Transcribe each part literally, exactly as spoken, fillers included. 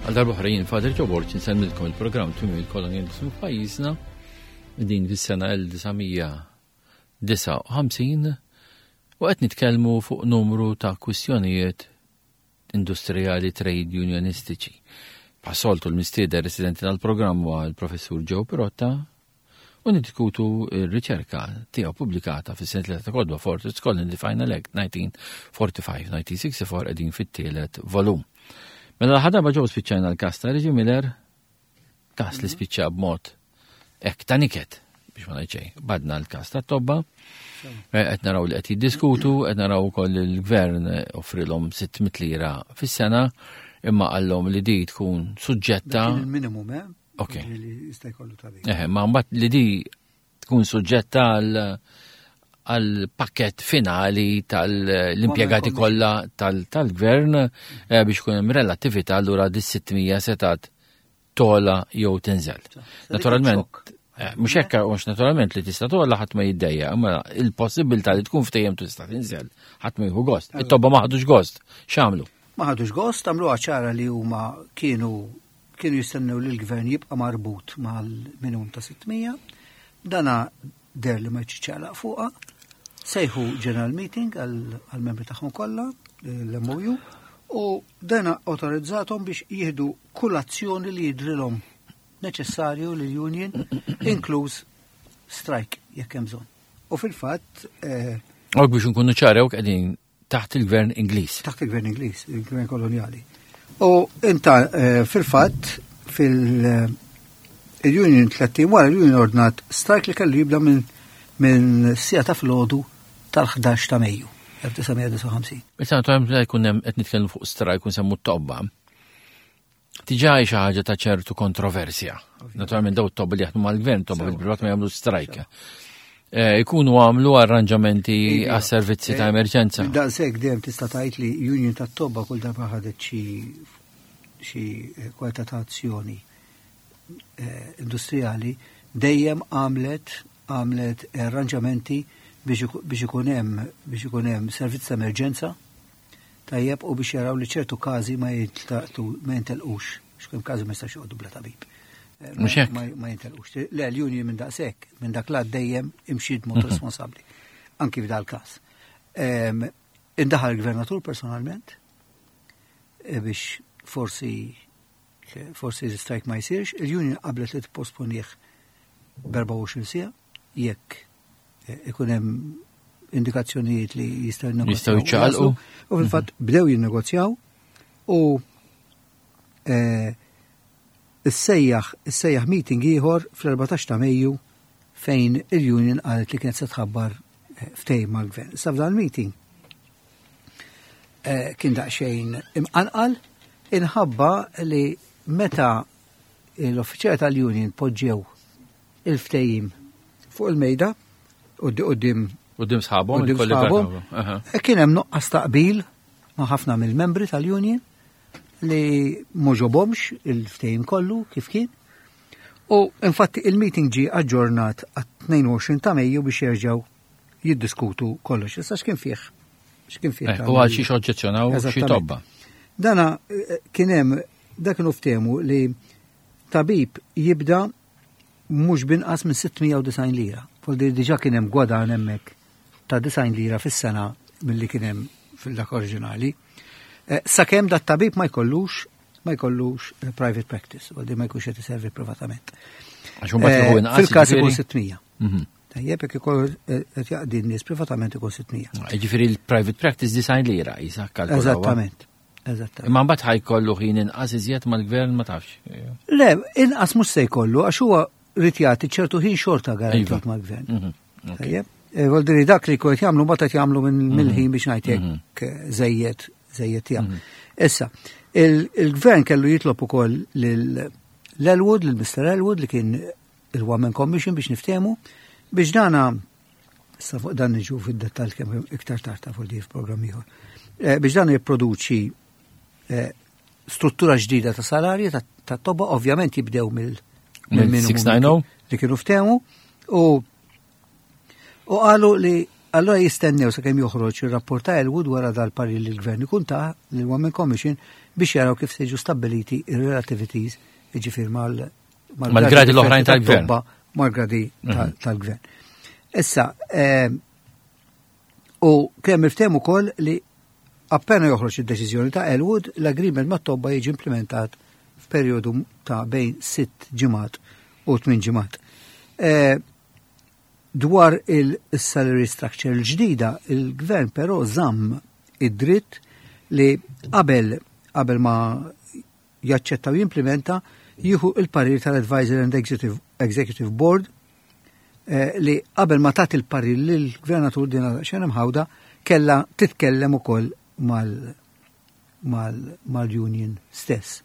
Għal darba jien Father Joe Borg insellmilkom il-programm Tmiem il-Kolonializmu f'pajjiżna din fis-sena elf disa' mija disgħa u ħamsin u qed nitkellmu fuq numru ta' kwistjonijiet industrijali trade unionistiċi. Bħas-soltu, l-mistieden residenti tal-programm huwa l-Professur Joe Pirotta u niddiskutu r-riċerka tiegħu pubblikata fis-sensiela ta' kotba Fortress Colony The Final Act nineteen forty-five nineteen sixty-four, qegħdin fit-tielet volum. Mela l-ħadaba ġew spiċċajna l-kas ta' Reggie Miller, kas li spiċċa b'mod hekk ta' niket biex ma ngħid xejn. Badna l-kas ta' tobba, eh, qed naraw li qed jiddiskutu, qed naraw ukoll il-gvern offrilhom sitt mitt lira fis-sena, imma qallhom li di tkun suġġetta. Dak kien il-minimum, eh? Ok. Li jista' jkollu tabib. Eh, ma mbagħad li di tkun suġġetta għal għal pakket finali tal-impjegati kollha tal-gvern eh, biex ikun hemm relattività, allura di sitt mija setat togħla jew tinżel. Naturalment, eh, mhux hekk, mhux naturalment li tista' togħla ħadd ma jiddejja, imma il-possibilità li tkun ftehim tista' tinżel, ħadd ma jieħu gost. It-tobba ma ħadux gost. X'għamlu? Ma ħadux gost, għamlu ċara li huma kienu kienu jistennew li l-gvern jibqa' marbut mal-minimum ta' sitt mija. Dana deher li ma jċiċċaqlaq fuqha. Sejħu general meeting għal-membri tagħhom kollha, l-M O U, u dana autorizzatom biex jieħdu kull azzjoni li jidrilhom neċessarju lil union, inkluż strike jekk hemm bżonn. U fil-fatt eh, Ok, biex nkunu ċari, qegħdin taħt il-gvern Ingliż. Taħt il-gvern Ingliż, il-gvern koloniali. U inta eh, fil-fatt fil- il-union tletin wara l-union ordnat strike li kellu jibda minn minn siegħa ta' filgħodu tal-ħdax ta' Mejju elf disa' mija disgħa u ħamsin. Issa naturalment meta jkun hemm qed nitkellmu fuq strike u nsemmu t-tobba. Diġà hi xi ħaġa ta' ċertu kontroversja. Naturalment daw t-tobba li jaħdmu mal-gvern, tobba fil-privat ma jagħmlu strike. Eh, Ikunu għamlu arranġamenti Iva. għas-servizzi ta' Eh, emerġenza. Daqshekk dejjem tista' tgħid li union tat-tobba kull darba ħadet xi xi eh, kwalità ta' azzjoni eh, industrijali dejjem għamlet għamlet arranġamenti biex iku- biex ikun hemm biex ikun hemm servizz ta' emerġenza tajjeb u biex jaraw li ċertu każi ma jintlaqtu ma jintelqux, x'kemm każi ma jistax joqogħdu bla tabib. Eh, ma- Mhux hekk? Ma ma jintelqux. Le, l-union minn daqshekk, minn dak lat dejjem imxiet mod responsabbli. Anki f'dal każ. Em, Indaħal il-gvernatur personalment eh, biex forsi forsi l-strike ma jsirx, il-union qablet li tipposponih b'erbgħa u għoxrin siegħa jekk eh, ikun hemm indikazzjonijiet li jistgħu Jistgħu jinnegozjaw. jiċċaqalqu. U fil-fatt bdew jinnegozjaw u eh, issejjaħ issejjaħ meeting ieħor fl-erbatax ta' Mejju fejn il-union qalet li kienet se tħabbar eh, ftehim mal-gvern. Sa f'dan meeting eh, kien daqsxejn imqanqal inħabba li meta l-uffiċjali tal-union poġġew il-ftehim fuq il-mejda quddiem Quddiem sħabhom, quddiem il-kollegi sħabhom, tagħhom. Aha. e kien hemm nuqqas taqbil ma' ħafna mill-membri tal-union li m'għoġobhomx il-ftehim kollu kif kien. U infatti il-meeting ġi aġġornat għat-tnejn u għoxrin ta' Mejju biex jerġgħu jiddiskutu kollox. Issa x'kien fih? X'kien fih? Eh, dan U għal il- xi oġġezzjonaw xi Eżattament. tobba. Dana eh, kien hemm dak kienu ftehmu li tabib jibda mhux binqas minn sitt mija u disgħin lira. Voldi diġà kien hemm gwadan hemmhekk ta' disgħin lira fis-sena milli kien hemm fil-dak oriġinali. Eh, Sakemm dat tabib ma jkollux ma jkollux eh, private practice, voldi ma jkunx qed iservi privatament. Għax imbagħad jieħu Eh, inqas, Fil-każ ikun jiġifieri? sitt mija. Mhm. Tajjeb, jekk ikollu eh, qed jaqdi n-nies privatament ikun sitt mija. Ġifieri il-private practice disgħin lira jisa kalkulaw. Eżattament. Eżattament. Imma mbagħad ħa jkollu ħin inqas iżjed mal-gvern, ma tafx. Le, inqas mhux se jkollu, għax huwa rrid jagħti ċertu ħin xorta garantit Iva. mal-gvern. Mhm. Ok. Tajjeb. E, Voldi dak li kont jagħmlu mbagħad qed jagħmlu minn Mhm. mill-ħin biex ngħid hekk żejjed żejjed tiegħu. Issa, il- il-gvern kellu jitlob ukoll lil l-Elwood, lil Mister Elwood li kien il-One Man Commission biex niftehmu, biex dana issa fuq dan niġu fid-dettall kemm iktar tard ta' fuq di f'programm ieħor. Eh, Biex dan jipproduċi eh, struttura ġdida ta' salarji ta' ta' tobba, ovvjament jibdew mill Mill mill-minimum sitt tnejn zero? li kienu ftehmu u u qalu li Allora jistennew sakemm joħroġ ir-rapport ta' Elwood wara dal-parir li l-gvern ikun ta lil One Man Commission biex jaraw kif se jiġu stabbiliti ir-relativities, jiġifieri mal mal-gradi l-oħrajn tal-gvern. Mal-gradi tal-gvern. Issa, u kemm iftehmu ukoll li appena joħroġ id-deċiżjoni ta' Elwood, l-agreement mat-tobba jiġi implementat f'perjodu ta' bejn sitt ġimgħat u tmien ġimgħat. Dwar il-salary structure l-ġdida, il-gvern però żamm id-dritt li qabel qabel ma jaċċetta u jimplementa jieħu il-parir tal-Advisor and Executive, Executive Board eh, li qabel ma tat il-parir lill-gvernatur din xena mħawda kella titkellem ukoll mal-union stess.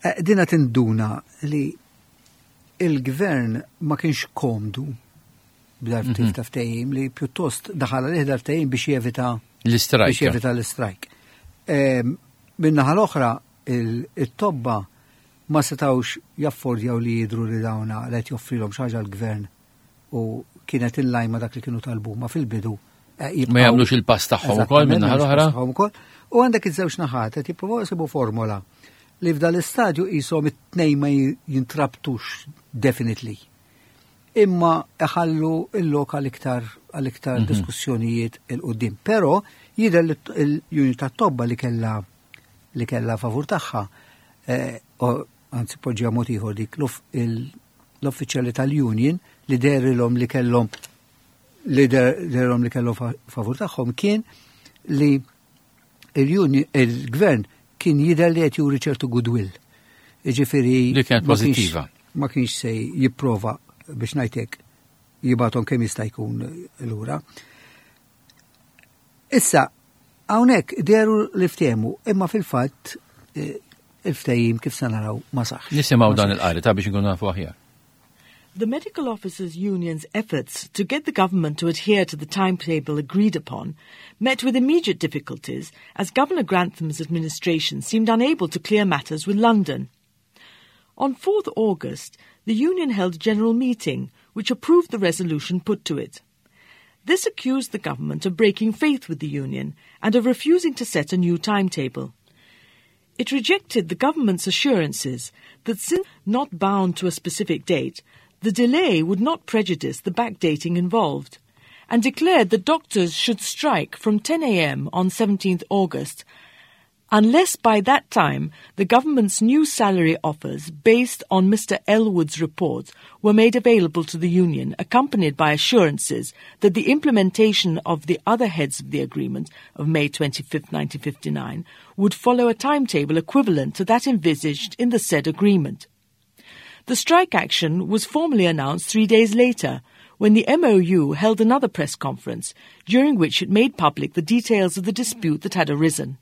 Eh, dina tinduna li il-gvern ma kienx komdu b'dal tip ta' ftehim, li pjuttost daħal għalih dal-ftehim biex jevita l-istrajk. Biex jevita l-istrajk. Min-naħa l-oħra, it-tobba ma setawx jaffordjaw li jidru li dawna li qed joffrilhom xi ħaġa l-gvern u kienet in line ma' dak li kienu talbu ma fil-bidu. Eh, ma jagħmlux il-pass tagħhom ukoll min-naħa l-oħra. U għandek iż-żewġ naħat qed jippruvaw jsibu formola li f'dal istadju qishom it-tnejn ma jintrabtux definitely. Imma iħallu il-lok għal-iktar għal-iktar mhm. diskussjonijiet 'il quddiem. Però jidher li l-unit tat-tobba li kella li kella favur tagħha, eh, anzi poġġija mod ieħor, dik l-uffiċjali tal-union li derilhom li kellhom li derilhom li kellhom favur tagħhom kien li il-gvern kien jidher li qed juri ċertu goodwill. Jiġifieri li kienet pożittiva. Ma kienx se jipprova, biex ngħidlek, jibgħathom kemm jista' jkun lura. Issa, hawnhekk deru li ftehmu, imma fil-fatt eh, il-ftehim kif se naraw ma saħx. Nisimgħu dan il-qari ta' biex nkunu nafu aħjar. The Medical Officers Union's efforts to get the government to adhere to the timetable agreed upon met with immediate difficulties as Governor Grantham's administration seemed unable to clear matters with London. On fourth August, the union held a general meeting which approved the resolution put to it. This accused the government of breaking faith with the union and of refusing to set a new timetable. It rejected the government's assurances that since not bound to a specific date, the delay would not prejudice the backdating involved, and declared that doctors should strike from ten a m on seventeenth August unless by that time the government's new salary offers based on Mister Elwood's report were made available to the union, accompanied by assurances that the implementation of the other heads of the agreement of May twenty-fifth, nineteen fifty-nine would follow a timetable equivalent to that envisaged in the said agreement. The strike action was formally announced three days later, when the M O U held another press conference, during which it made public the details of the dispute that had arisen.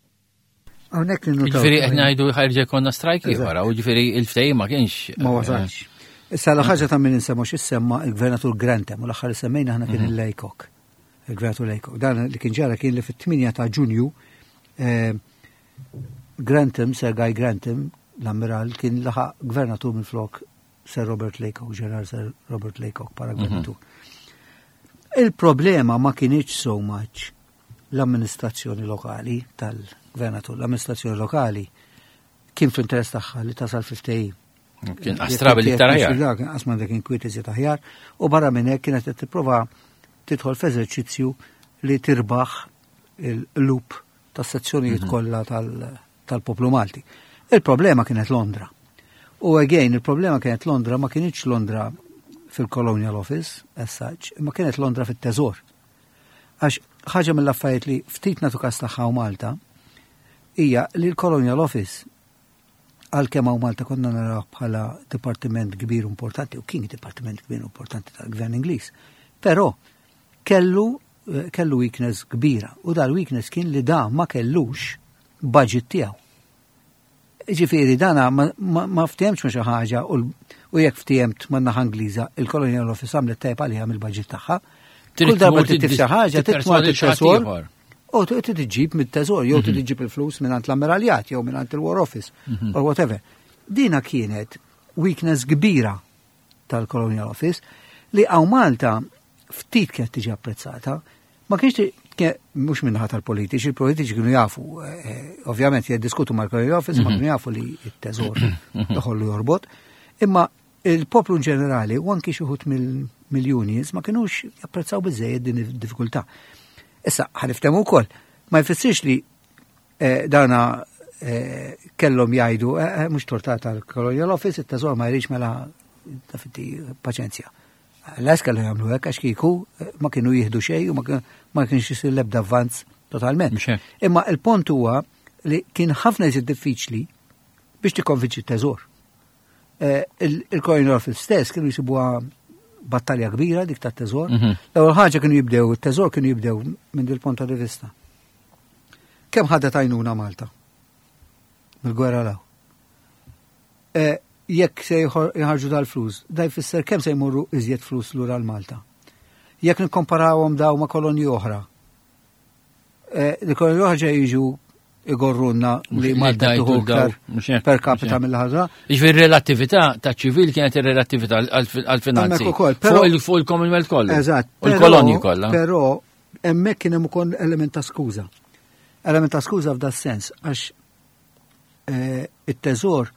Hawnhekk ninnotaw. Ġifieri qed ngħidu ħa jerġa' jkollna strajk ieħor, u ġifieri il-ftehim ma kienx. Ma wasalx. Issa la ħaġa ta' min insemmu x'issemma il-Gvernatur Grantham u l-aħħar li semmejna aħna kien il-Laycock. Il-Gvernatur Laycock. Dan li kien ġara kien li fit-tmienja ta' Ġunju eh, Grantham, Sir Guy Grantham, l-ammiral, kien laħaq gvernatur minn flok Sir Robert Laycock, Ġeneral Sir Robert Laycock para gvernatur. Il-problema ma kienx so much l-amministrazzjoni lokali tal-gvernatur. L-amministrazzjoni lokali kien fl-interess tagħha li tasal fil-ftehim. Kien astrabi li iktar aħjar. Kien qasma dak inkwiet iżjed aħjar u barra minn hekk kienet qed tipprova tidħol f'eżerċizzju li tirbaħ il-loop tas-sezzjonijiet kollha tal-poplu Malti. Il-problema kienet Londra. U again, il-problema kienet Londra, ma kienx Londra fil-Colonial Office, as such, imma kienet Londra fit-teżor. Għax ħaġa mill-affarijiet li ftit nagħtu kas tagħha Malta hija li l-Colonial Office, għalkemm hawn Malta konna naraw bħala dipartiment kbir importanti, u kien dipartiment kbir importanti tal-gvern Ingliż, però kellu eh, kellu weakness kbira u dal-weakness kien li da ma kellux budget tiegħu. Ġifieri dana ma, ma, ma ftehemx ma xi ħaġa u, u jekk ftehmt ma' naħa Ingliża, il-Colonial Office għamlet tajb għaliha mill-budget tagħha. Kull darba trid xi ħaġa titma' teżor. U trid iġġib mit-teżor, jew trid iġġib il-flus minn l-ammiraljat, jew minn il-War Office, or whatever. Dina kienet weakness kbira tal-Colonial Office li hawn Malta ftit kienet tiġi apprezzata. Ma kienx mhux minnaħa tal-politiċi, il-politiċi kienu jafu, eh, ovvjament jiddiskutu mal-Colonial Office, ma mhm. kienu jafu li t-teżor iħollu jorbot, imma il-poplu ġenerali u anki xi wħud mill-unions ma kienux japprezzaw biżejjed din id-diffikultà. Issa, ħa niftehmu wkoll, ma jfissirx li eh, dana eh, kellhom jgħidu mhux tort tal-Colonial Office, it-teżor ma jridx, mela tafitti paċenzja. Lanqas kellu jagħmlu hekk, għax kieku eh, ma kienu jieħdu xejn u ma kienx isir l-ebda avvanz totalment. Imma il-punt huwa li kien ħafna iżjed diffiċli biex tikkonvinċi t-teżor. Eh, Il-Colonial Office stess kienu jisibuha battalja kbira dik tat-teżor. Mhm. L-ewwel ħaġa kienu jibdew, it-teżor kienu jibdew minn dil-punt ta' vista. Kemm ħadet għajnuna Malta mill-gwerra 'l hawn? Eh, jekk se jħarġu dal-flus, da jfisser kemm se jmorru iżjed flus lura l-Malta? Jekk nikkomparawhom daw ma' kolonji oħra, eh, li kolonji oħra ġej jiġu igorrunna li Malta tieħu iktar per capita mill-ħaġa. Jiġifieri relattività ta' ċivil kienet ir-relattività għal-finanzi. Fuq il-Commonwealth kollu. Eżatt. U l-kolonji kollha. Però hemmhekk kien hemm ukoll element ta' skuża. Element ta' skuża f'da sens, għax eh, it-teżor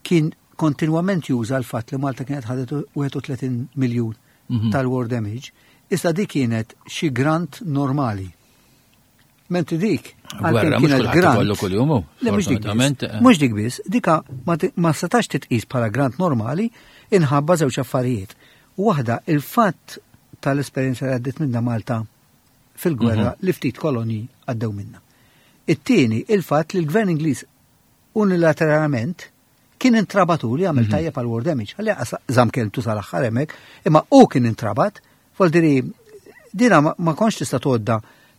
kien kontinwament juża l-fatt li Malta kienet ħadet wieħed u tletin miljun mhm. tal-war damage. Issa dik kienet xi grant normali. Mentri dik għalkemm kienet grant. Le, mhux dik biss. Eh. Mhux dik biss, dika ma setax titqis bħala grant normali inħabba żewġ affarijiet. Waħda, il-fatt tal-esperjenza li għaddit minna Malta fil-gwerra mhm. li ftit koloni għaddew minna. It-tieni, il-fatt li l-gvern Ingliż unilateralment kien intrabatu li għamel mhm. tajjeb għal war damage. Għalli żamm kelmtu sal-aħħar hemmhekk, imma u kien intrabat, voldiri dina ma kontx tista' tgħodda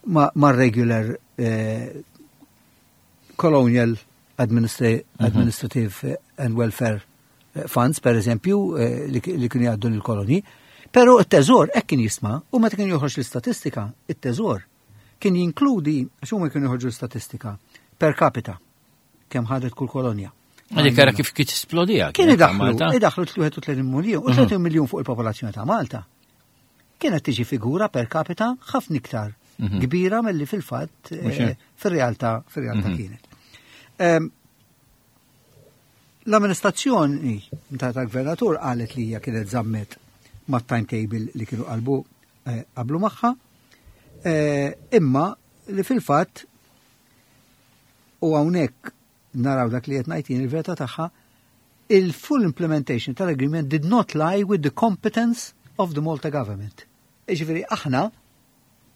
ma' regular eh, colonial mhm. administrative and welfare eh, funds, per eżempju, eh, li kienu jgħaddu l-koloni. Pero it-teżor hekk kien jisma' u meta kien joħroġ l-istatistika, it-teżor kien jinkludi, għax huma kienu joħorġu l-istatistika per capita kemm ħadet kull kolonja. Għalik ara kif kif esplodija. Kien idaħlu, idaħlu tlieta u tletin miljon, u tletin miljun fuq il-popolazzjoni ta' Malta. Kienet tiġi figura per capita ħafna iktar mhm. kbira mill-li fil-fatt eh, fil-realtà fil-realtà mhm. kienet. L-amministrazzjoni ta' tal-gvernatur qalet li hija kienet żammet ma' timetable li kienu qalbu eh, qablu magħha, eh, imma li fil-fatt, u hawnhekk naraw dak li qed ngħid il-verità tagħha, il-full implementation tal-agreement did not lie with the competence of the Malta government. Iġifieri aħna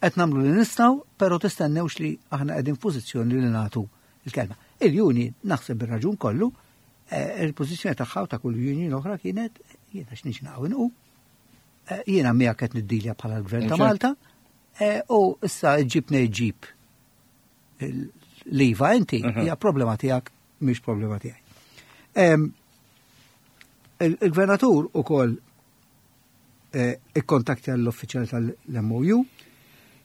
qed nagħmlu li nistgħu, però tistennewx li aħna qegħdin f'pożizzjoni li nagħtu il-kelma. Il-union, naħseb bir-raġun kollu, eh, il-pożizzjoni tagħha u ta' kull union oħra kienet: jiena x'niġi naqgħu, eh, jiena miegħek qed niddilja bħala l-Gvern ta' Malta eh, u issa ġib ġib l-iva inti mhm. hija problema tiegħek, mhix problema tiegħi. Il-gvernatur ukoll eh, ikkontaktja l-uffiċjal tal-M O U,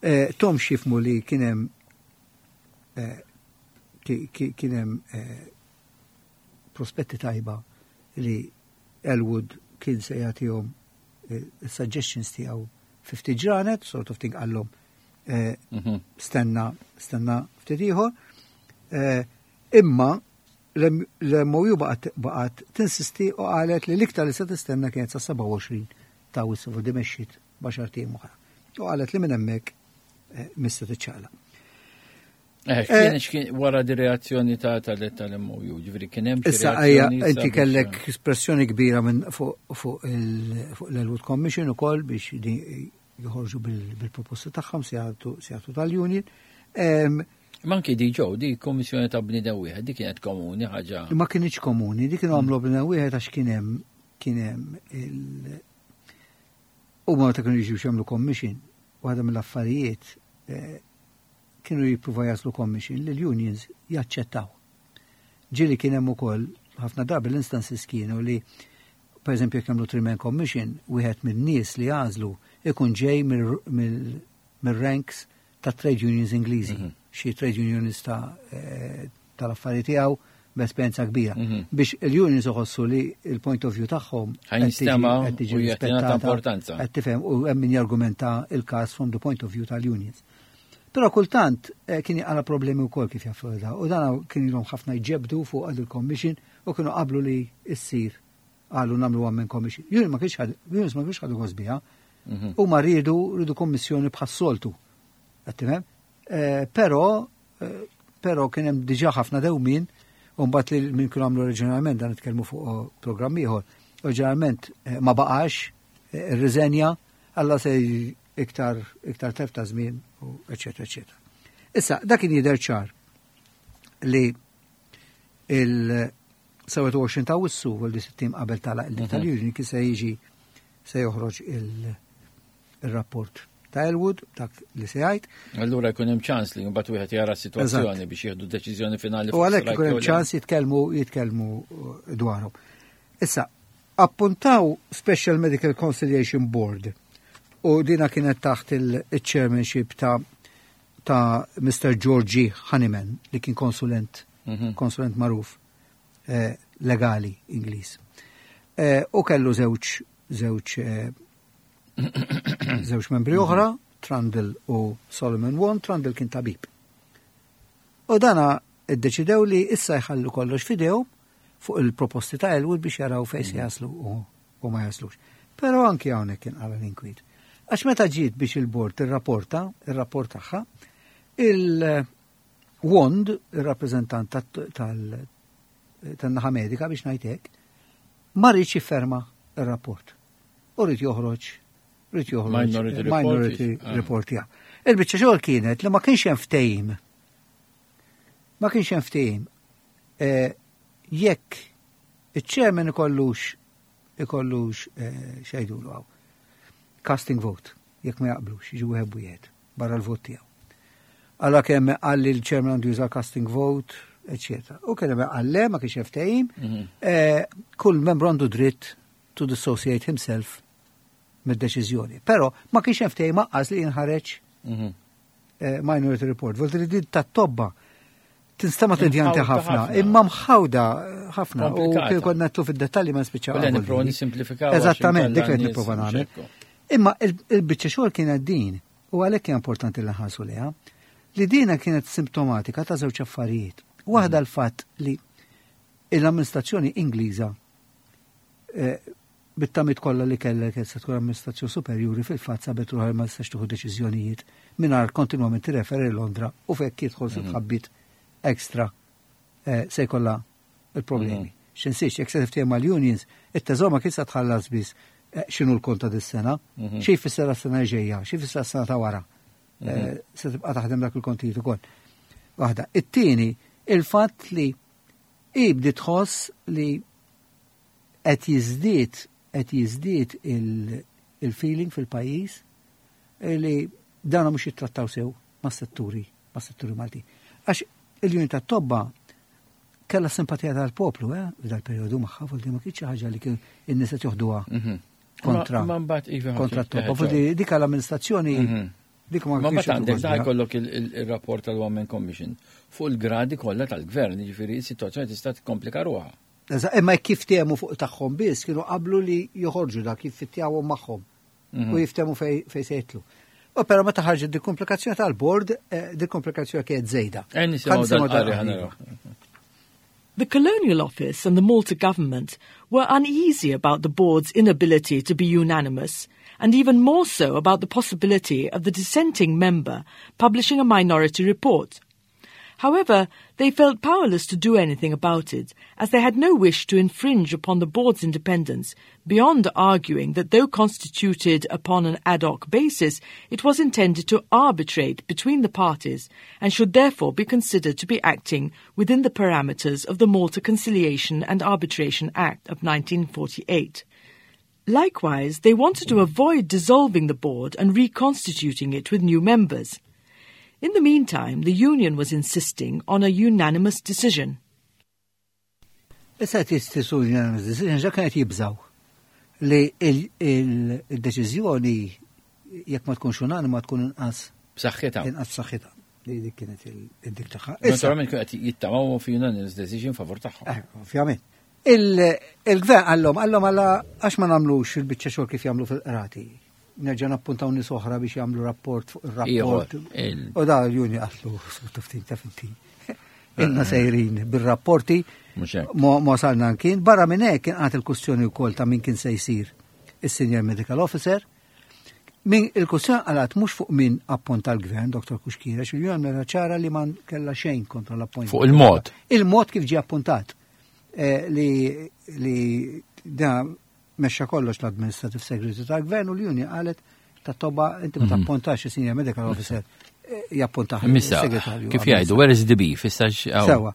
eh, tahom x'jifhmu li kien hemm eh, kien hemm prospetti tajba li Elwood kien se jagħtihom suggestions tiegħu ftit ġranet, sort of thing qallhom mhm. stenna stenna ftit ieħor. Imma l-M O U baqgħet tinsisti u qalet li l-iktar li se tistenna kienet sa sebgħa u għoxrin ta' Awwissu, di mexxiet b'għaxart ijiem oħra. U qalet li minn hemmhekk eh, mista tiċċaqlaq. Eh, eh kien wara di reazzjoni ta' tal-M O U, ġifieri kien hemm Issa ejja, inti kellek espressjoni kbira minn fuq l-Elwood Commission ukoll biex joħorġu bil-proposta tagħhom se jagħtu tal-union. Manki di ġew, di kommissjoni ta' bniedem wieħed, di kienet komuni ħaġa. Ma kienx komuni, di kienu għamlu bniedem wieħed għax kien hemm kien hemm il U ma ta' kienu jiġu jagħmlu commission, waħda mill-affarijiet eh, kienu jippruva jaslu commission li l-unions jaċċettaw. Ġieli kien hemm ukoll ħafna drabi l-instances kienu li, per eżempju, jekk jagħmlu three-man commission, wieħed minn nies li għażlu ikun ġej mill-ranks ta' trade unions Ingliżi, mhm. xi trade unionista eh, tal-affarijiet tiegħu b'esperjenza kbira. Mhm. Biex il-unions uħossu li il-point of view tagħhom qed tiġi importanza. Qed tifhem, u hemm min jargumenta il-każ from the point of view tal-unions. Però kultant eh, kien għala problemi wkoll kif jaffu da. U dan kien ilhom ħafna jġebdu fuq għad il-commission u kienu qablu li issir qalu nagħmlu one man commission. Union ma kienx ħad- unions ma kienx ħadu gost biha. Mhm. U ma rridu rridu kommissjoni bħas-soltu. Qed tifhem? Eh, Però eh, però kien hemm diġà ħafna dewmin u mbagħad li min kienu għamlu oriġinalment dan nitkellmu fuq programm ieħor. Oriġinalment eh, ma baqax, eh, irriżenja, alla se iktar iktar telf ta' żmien u eċetera eċetera. Issa dak kien jidher ċar li il-sebgħa u għoxrin ta' Awwissu u li sittin qabel tala il tal-union kien se jiġi se joħroġ il- il-rapport ta' Elwood, dak li se jgħid. Allura jkun hemm ċans li mbagħad wieħed jara s-sitwazzjoni biex jieħdu deċiżjoni finali. U fuq għalhekk strike ikun hemm jew le. ċans jitkellmu jitkellmu uh, dwarhom. Issa, appuntaw Special Medical Conciliation Board u dina kienet taħt il-chairmanship ta' ta' Mister Georgie Honeyman li kien konsulent Mhm. konsulent magħruf eh, legali Ingliż. Eh, u kellu żewġ żewġ eh, żewġ membri oħra, Trundle u Solomon Wand. Trundle kien tabib. U dana iddeċidew li issa jħallu kollox f'idejhom fuq il-proposti ta' Elwood biex jaraw fejn se jaslu u, u ma jaslux. Però anki hawnhekk kien qala l-inkwiet. Għax meta ġiet biex il-bord tirrapporta, ir-rapport tagħha, il-Wand, il-rappreżentant tal- tan-naħa medika biex ngħid hekk, ma riedx jifferma ir-rapport. U ried joħroġ, ried joħroġ Minority report. Minority Ah. report, ja. Il-biċċa xogħol kienet li ma kienx hemm ftehim. Ma kienx hemm ftehim. Eh, jekk iċ-chairman ikollux ikollux eh, x'jgħidulu hawn. Casting vote, jekk ma jaqblux, jiġu wieħed wieħed barra l-vot tiegħu. Alla kemm qal li l-chairman għandu juża casting vote, eċċetera. U kien hemm qal le, ma kienx hemm ftehim, Mhm. eh, kull membru għandu dritt to dissociate himself mid-deċiżjoni. Però ma kienx hemm ftehim aqqas li jinħareġ Mhm. eh, minority report. Volt li din tat-tobba tinstema tedjanti Imħawda ħafna, ħafna. imma mħawda ħafna. U Komplikata. kien konna netlu fid-dettalji ma nispiċċaw. U le nipprova nisimplifikaw għax Eżattament, dik inkella li n-nies nipprova nagħmel. mxekku. Imma il- il-biċċa xogħol kienet din, u għalhekk hija importanti li nħarsu liha, li dina kienet simptomatika ta' żewġ affarijiet. Waħda l-fatt li l-amministrazzjoni Ingliża eh, bit-tamiet kollha li kellha kienet se tkun amministrazzjoni superjuri, fil-fatt sabet ruħha ma tistax tieħu deċiżjonijiet mingħajr kontinwament tirreferi Londra u fekk jidħol fi tħabbit ekstra eh, se jkollha il-problemi. X'insiex, jekk se tiftehim mal-unions, it-teżor ma kien se tħallas biss eh, x'inhu l-kont ta' dis-sena, Mhm. xi jfisser s-sena ġejja, xi jfisser s-sena ta' wara. Eh, Se tibqa' taħdem dak il-kontijiet ukoll. Waħda. It-tieni, il-fatt li ibdi tħoss li qed jiżdied qed jiżdied il- il-feeling fil-pajjiż li dana mhux jittrattaw sew mas-setturi mas-setturi Malti. Għax il-union tat-tobba kellha simpatija tal-poplu, eh, f'dal perjodu magħha, vuol ma kienx xi ħaġa li kien in-nies qed joħduha Mhm. kontra Ma mbagħad iva kontra t-tobba. Vuol dik l-amministrazzjoni Mhm. dik ma Ma kienx mbagħad għandek da jieħdu jkollok il- il- il-rapport tal-One Man Commission fuq il-gradi kollha tal-gvern, jiġifieri s-sitwazzjoni tista' tikkomplika ruħha. Eżatt, imma kif ftehmu fuq tagħhom biss kienu qablu li joħorġu dak kif fittjawhom magħhom Mhm. u jiftehmu fej fej se jitlu. U però meta ħarġet dik komplikazzjoni tal-bord, eh, dik komplikazzjoni kienet żejda. Eh, nisimgħu Ħa nisimgħu dal-qari dal-qari. ħa naraw. The Colonial Office and the Malta government were uneasy about the board's inability to be unanimous, and even more so about the possibility of the dissenting member publishing a minority report. However, they felt powerless to do anything about it, as they had no wish to infringe upon the board's independence, beyond arguing that though constituted upon an ad hoc basis, it was intended to arbitrate between the parties and should therefore be considered to be acting within the parameters of the Malta Conciliation and Arbitration Act of nineteen forty-eight. Likewise, they wanted to avoid dissolving the board and reconstituting it with new members. In the meantime, the union was insisting on a unanimous decision. Issa jistisu unanimous decision, ġa kienet jibżaw li il-deċiżjoni jekk ma tkunx unanima tkun inqas B'saħħitha. Inqas b'saħħitha. Li dik kienet il-dik tagħha. Issa, Naturalment kienu qed jittamaw fi unanimous decision favur tagħhom. eh, ovvjament. Il-gvern għallhom, għallhom għalla għax ma nagħmlux il-biċċa xogħol kif jagħmlu fil-qrati. Nerġa' nappuntaw nies oħra biex jagħmlu rapport fuq ir-rapport. U da l-union qaltlu ftit ta' finti. Ilna sejrin bir-rapporti ma salna kien. Barra minn hekk kien għad il-kustjoni wkoll ta' min kien se jsir is-Senior Medical Officer. Min il-kustjoni għalat mhux fuq min appunta l-gvern, Dottor Cuschieri, il-union mera ċara li ma kellha xejn kontra l-appointment. Fuq il-mod. Il-mod kif ġie appuntat. Li li da mexxa kollox l-Administrative Secretary tal-Gvern u l-Union qalet ta' toba inti ma tappuntax il-Senior Medical Officer jappuntax il-segretarju. Kif jgħidu, where is the beef? Sewa.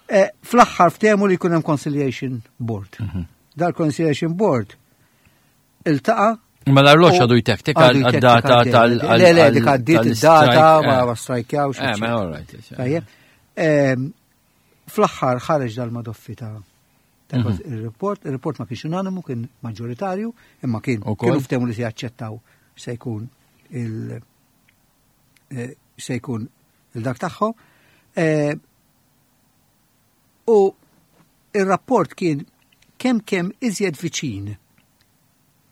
Fl-aħħar ftehmu li jkun hemm Conciliation Board. Dal-Conciliation Board iltaqa'. Ma l-arloġġ għadu jtektek għad-data tal- Le, le, dik għaddiet id-data, ma strajkjawx. Eh, ma all right. Tajjeb. Fl-aħħar ħareġ dal-madoffi ta' il-report, il-report ma kienx unanimu, kien maġġoritarju, imma kien kienu ftehmu li se jaċċettaw se jkun il se jkun il-dak tagħhom. U il-rapport kien kemm kemm iżjed viċin,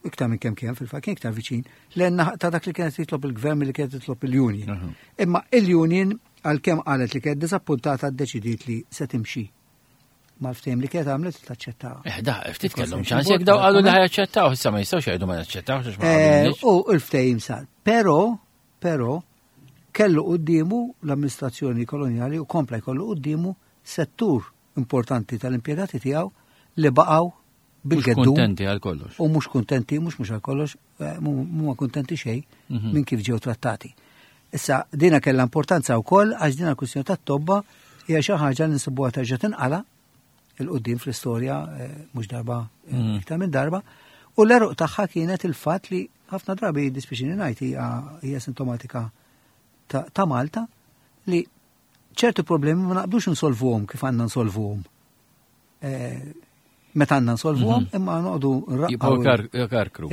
iktar minn kemm kemm fil-fatt kien iktar viċin, l ta' dak li kienet jitlob il-gvern li kienet jitlob il-union. Imma il-union għalkemm qalet li kienet disappuntata ddeċidiet li se timxi mal-ftehim li kienet għamlet taċċettaw. Eh, da, ftit kellhom ċans jekk daw qalu li ħajaċċettaw, issa ma jistgħux jgħidu ma naċċettawx għax ma qablniex. U l-ftehim sar. Però, però, kellu quddiemu l-amministrazzjoni koloniali u kompla jkollu quddiemu settur importanti tal-impjegati tiegħu li baqgħu bil-geddu. Kuntenti għal kollox. U mhux kuntenti, mhux mhux għal kollox, mhuma kuntenti xejn minn kif ġew trattati. Issa, dina kellha importanza wkoll għax dina l-kwistjoni tat-tobba hija xi ħaġa li nsibuha terġa' tinqala il-qudiem fl-istorja mhux darba iktar minn darba, u l-eruq tagħha kienet il-fatt li ħafna drabi dispiċini ngħid hija sintomatika ta' Malta li ċertu problemi ma naqbdux nsolvuhom kif għandna nsolvuhom. Meta għandna nsolvuhom, imma noqogħdu nraqqgħu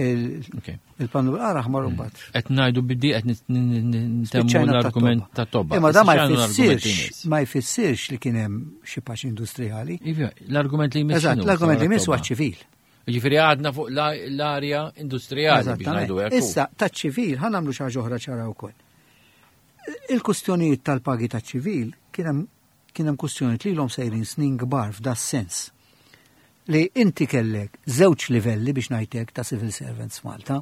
il-pannu bil-qara aħmar u mbagħad. Qed ngħidu biddi qed nintemmu l-argument ta' tobba. Imma da ma jfissirx, ma jfissirx li kien hemm xi paċi industrijali. L-argument li jmiss. Eżatt, l-argument li jmiss huwa ċivil. Jiġifieri għadna fuq l-arja industrijali biex ngħidu hekk. Issa taċ-ċivil ħa nagħmlu xi ħaġa oħra ċara wkoll. Il-kustjonijiet tal-pagi taċ-ċivil kien hemm kien hemm kustjonijiet li ilhom sejrin snin kbar f'da sens. Li inti kellek żewġ livelli biex ngħidlek ta' civil servants Malta.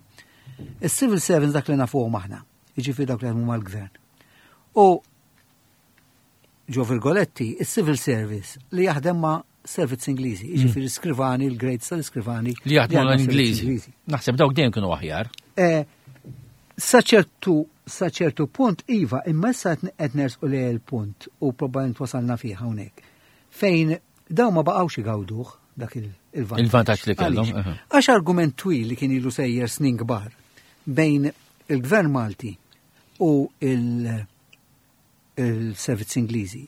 Is-civil servants dak li nafuhom aħna, jiġifieri dak li jaħdmu mal-gvern. U ġo virgoletti, is-civil service li jaħdem ma' servizz Ingliżi, jiġifieri skrivani, il-grades tal-iskrivani. Li jaħdmu l-Ingliżi. Naħseb dawk dejjem kienu aħjar. Sa ċertu sa ċertu punt iva, imma issa qed nersqu lejn il-punt u probabbilment wasalna fih hawnhekk. Fejn dawn ma baqgħux igawduh dak il-vantaġġ. Il-vantaġġ li kellhom. Għax argument twil li kien ilu sejjer snin kbar bejn il-Gvern Malti u il-servizz Ingliżi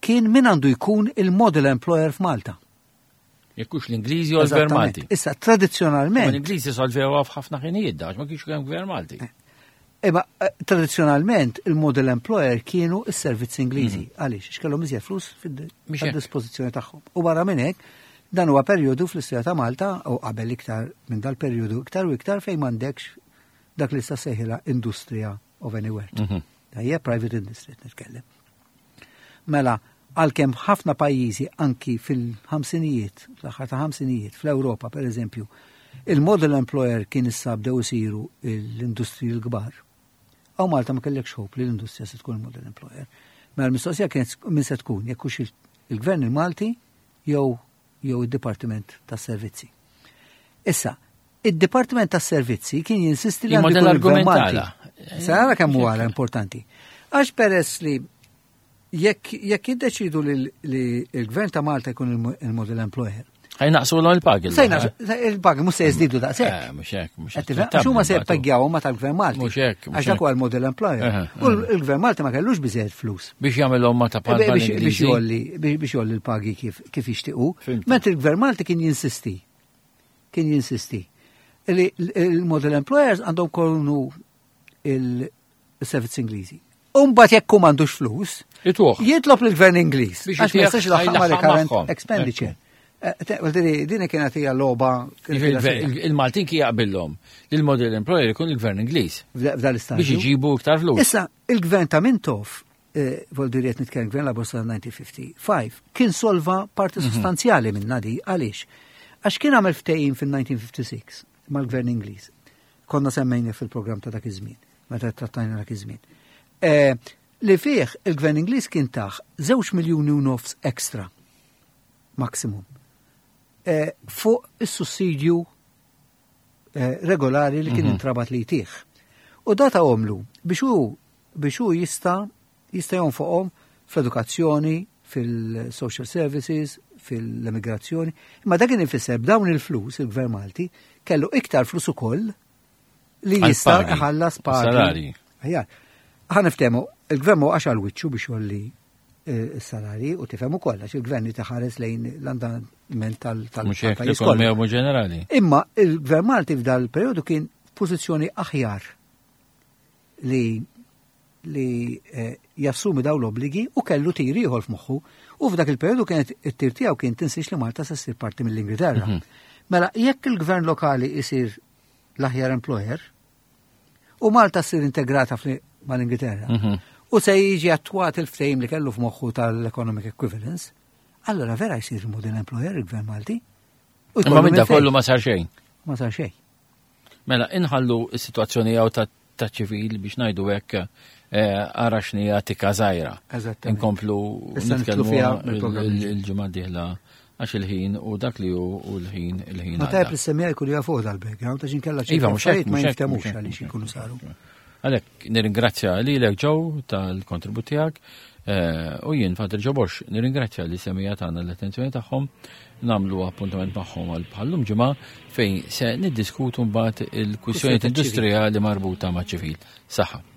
kien min għandu jkun il-model employer f'Malta. Jekk hux l-Ingliżi u l-Gvern Malti. Issa, tradizzjonalment. L-Ingliżi solvewha f'ħafna ħinijiet dax, ma kienx hemm Gvern Malti. Imma tradizzjonalment il-model employer kienu s-servizz Ingliżi. Għaliex, għax kellhom iżjed flus fid-dispożizzjoni tagħhom. U barra minn hekk, dan huwa perjodu fl-istorja ta' Malta u qabel iktar minn dal-perjodu iktar u iktar fejn m'għandekx dak li sta sejħilha industrija of anywhere. Tajjeb, private industry nitkellem. Mela, għalkemm ħafna pajjiżi anki fil-ħamsinijiet, fl-aħħar ta' ħamsinijiet, fl-Ewropa per eżempju, il-model employer kien issa bdew isiru l-industriji l-kbar. Aw Malta ma kellekx hope li l-industrija se tkun il-model employer. Mela l-mistoqsija kienet min se tkun, jekk hux il-gvern il-Malti jew jew id-Dipartiment tas-Servizzi. Issa, id-Dipartiment tas-Servizzi kien jinsisti li għandu jkun il-Gvern Malti. Issa nara kemm huwa importanti. Għax peress li jekk jekk jiddeċidu li l-Gvern ta' Malta jkun il-model employer. Ħajnaqsu l il-pagi. Il-pagi mhux se jiżdiedu daqshekk. Mhux hekk, mhux hekk. Għax huma se jippeggjaw ma tal-Gvern Malti. Mhux hekk. Għax dak huwa l-model employer. U l-Gvern Malti ma kellux biżejjed flus. Biex jagħmelhom ma ta' bħal biex jolli biex jolli l-pagi kif kif jixtiequ. Mentre il-Gvern Malti kien jinsisti. Kien jinsisti. Li il-model employers għandhom kollu il-servizz Ingliżi. Umbagħad jekk hu m'għandux flus, jitlob lill-Gvern Ingliż. Għax ma jistax ilaħħaq ma' recurrent expenditure. Eh, din kienet hija logħba. Il-Maltin kien jaqbillhom li l-model employer ikun il-gvern Ingliż. F'dan l-istadju. Biex iġibu iktar flus. Issa, il-gvern ta' Mintoff, eh, vuol dire qed nitkellem gvern Laburista elf disa' mija u ħamsa u ħamsin, kien solva parti mhm. sostanzjali minn di. Għaliex? Għax kien għamel ftehim fil-elf disa' mija u ħamsa u sittin mal-gvern Ingliż. Konna semmejna fil-programm ta' dak iż-żmien, meta trattajna dak iż-żmien. Eh, li fih il-gvern Ingliż kien tah żewġ miljuni u nofs ekstra maximum eh, fuq is-sussidju eh, regolari li kien mhm. intrabat li jtih. U dan tahomlu biex hu biex hu jista' jista' jonfoqhom fl-edukazzjoni, fil-social services, fil-immigrazzjoni. Imma dak kien ifisser b'dawn il-flus, il-Gvern Malti kellu iktar flus ukoll li jista' iħallas pagi. Ħa niftehmu, il-gvern ma waqax għal wiċċu biex jgħolli eh, s-salari u tifhem ukoll għax il-gvern jitaħares lejn l-andament tal-pajjiż kollu. Ġenerali. Imma il-gvern Malti f'dal periodu kien f'pożizzjoni aħjar li li eh, jassumi daw l-obligi u kellu tir ieħor f'moħħu u f'dak il-periodu kienet it-tir tiegħu kien, tinsiex li Malta se ssir parti mill-Ingilterra. Mhm. Mela jekk il-gvern lokali isir l-aħjar employer u Malta ssir integrata mal-Ingilterra mhm. u se jiġi attwat il-ftehim li kellu f'moħħu tal-economic equivalence, allora vera jsir model employer il-gvern Malti. Imma minn da kollu ma sar xejn. Ma sar xejn. Mela, inħallu s-situazzjoni għaw ta' ċivil biex ngħidu hekk eh, ara x'nija tika żgħira. Inkomplu nitkellmu il-ġimgħa dieħla għax il-ħin u dak li hu u l-ħin il-ħin. Ma tajb li semija jkunu jafu dal-background għax inkella iva, ma jiftemux għaliex ikunu saru. Għalhekk nirringrazzja lilek, Joe, tal-kontribut tiegħek eh, u jien Father Ġobox nirringrazzja li semija tagħna l-attenzjoni tagħhom, nagħmlu appuntament magħhom għal bħallum ġimgħa fejn se niddiskutu mbagħad il-kwistjonijiet industrijali marbuta ma' ċivil. Saħħa.